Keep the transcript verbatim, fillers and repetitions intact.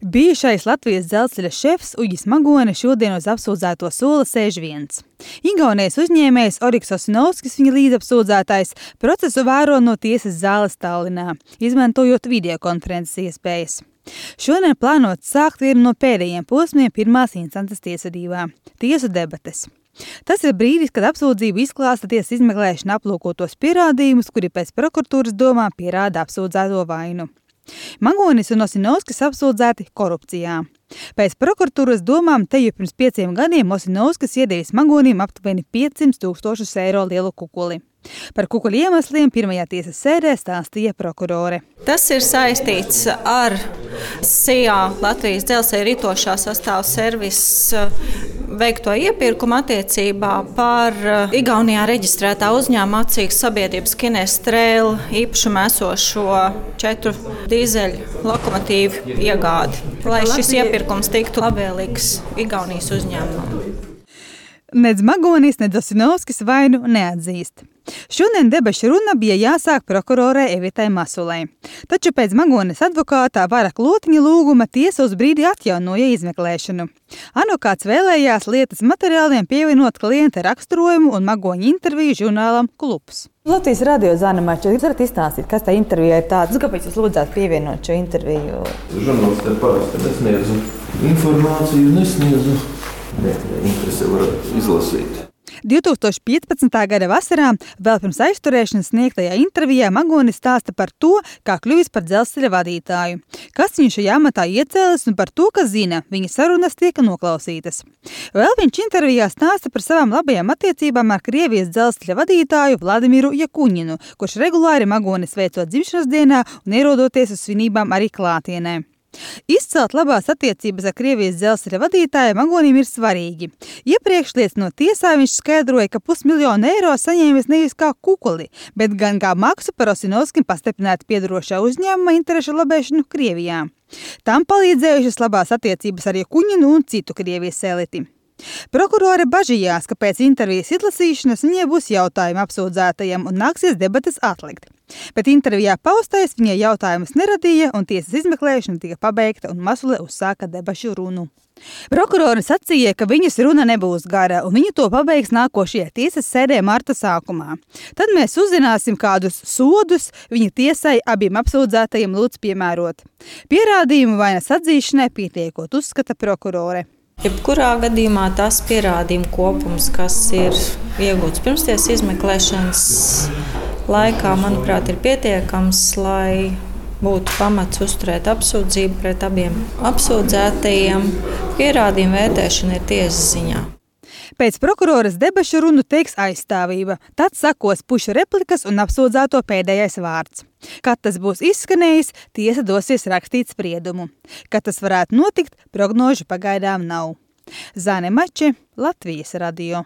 Bijušais Latvijas dzelzceļa šefs Uģis Magone šodien uz apsūdzēto sola sēž viens. Igaunijas uzņēmējs Oriks Osinovskis, viņa līdzapsūdzētais, procesu vēro no tiesas zāles Tallinā, izmantojot videokonferences iespējas. Šodien plānots sākt vienu no pēdējiem posmiem pirmās instances tiesvedībā – tiesu debates. Tas ir brīdis, kad apsūdzību izklāsta tiesas izmeklēšana aplūkotos pierādījumus, kuri pēc prokuratūras domām pierāda apsūdzēto vainu. Magonis un Osinovskis apsūdzēti korupcijā. Pēc prokuratūras domām te jau pirms pieciem gadiem Osinovskis iedevis Magonim aptuveni piecsimt tūkstošus eiro lielu kukuli. Par kukuļu iemesliem pirmajā tiesas sēdē stāstīja prokurore. Tas ir saistīts ar S I A Latvijas dzelzceļa ritošā sastāva servisa veikto iepirkumu attiecībā par Igaunijā reģistrētā uzņēmuma acīgas sabiedrības Kinēstrēl īpašumā esošo četru dīzeļu lokomotīvu iegādi, lai šis iepirkums tiktu labvēlīgs Igaunijas uzņēmumam. Nedz Magonis, nedz Osinovskis vainu neatzīst. Šodien debašu runa bija jāsāk prokurorei Evitai Masulei. Taču pēc Magones advokātā Vara Klotiņa lūguma tiesa uz brīdi atjaunoja izmeklēšanu. Advokāts vēlējās lietas materiāliem pievienot klienta raksturojumu un Magoņa interviju žurnālam Klubs. Latvijas radio Zana Mača, jūs varat izstāstīt, kas tā intervijā ir tāds? Kāpēc jūs lūdzāt pievienot šo interviju? Žurnālistē parasti nesniedzu informāciju, nesniedzu. Nē, interesi var izlasīt. divtūkstoš piecpadsmitā gada vasarā, vēl pirms aizturēšanas sniegtajā intervijā, Magonis stāsta par to, kā kļuvis par dzelzceļa vadītāju, kas viņu šajā amatā iecēlis un par to, ka zina, viņa sarunas tiek noklausītas. Vēl viņš intervijā stāsta par savām labajām attiecībām ar Krievijas dzelzceļa vadītāju Vladimiru Jakuņinu, kurš regulāri Magonis veicot dzimšanas dienā un ierodoties uz svinībām arī klātienē. Izcelt labās attiecības ar Krievijas dzelzceļa vadītāju Magonim ir svarīgi. Iepriekš liecinot tiesā viņš skaidroja, ka pusmiljonu eiro saņēmis nevis kā kukuli, bet gan kā maksu par Osinovskim pastiprināti piedarošā uzņēmuma interešu labēšanu Krievijā. Tam palīdzējušas labās attiecības ar Jakuņinu un citu Krievijas eliti. Prokurore bažījās, ka pēc intervijas izlasīšanas viņai būs jautājumi apsūdzētajam un nāksies debates atlikt. Bet intervijā paustais viņai jautājumus neradīja un tiesas izmeklēšana tika pabeigta un Masule uzsāka debašu runu. Prokurore sacīja, ka viņas runa nebūs gara un viņa to pabeigs nākošajā tiesas sēdē marta sākumā. Tad mēs uzzināsim, kādus sodus viņa tiesai abiem apsūdzētajiem lūdz piemērot. Pierādījumu vainas atzīšanai pietiekot, uzskata prokurore. Jebkurā gadījumā tas pierādījumu kopums, kas ir iegūts pirmstiesas izmeklēšanas laikā, manuprāt, ir pietiekams, lai būtu pamats uzturēt apsūdzību pret abiem apsūdzētajiem. Pierādījumu vērtēšana ir tiesas ziņā. Pēc prokuroras debašu runu teiks aizstāvība, tad sakos pušu replikas un apsūdzēto pēdējais vārds. Kad tas būs izskanējis, tiesa dosies rakstīt spriedumu. Kad tas varētu notikt, prognožu pagaidām nav. Zane Mače, Latvijas radio.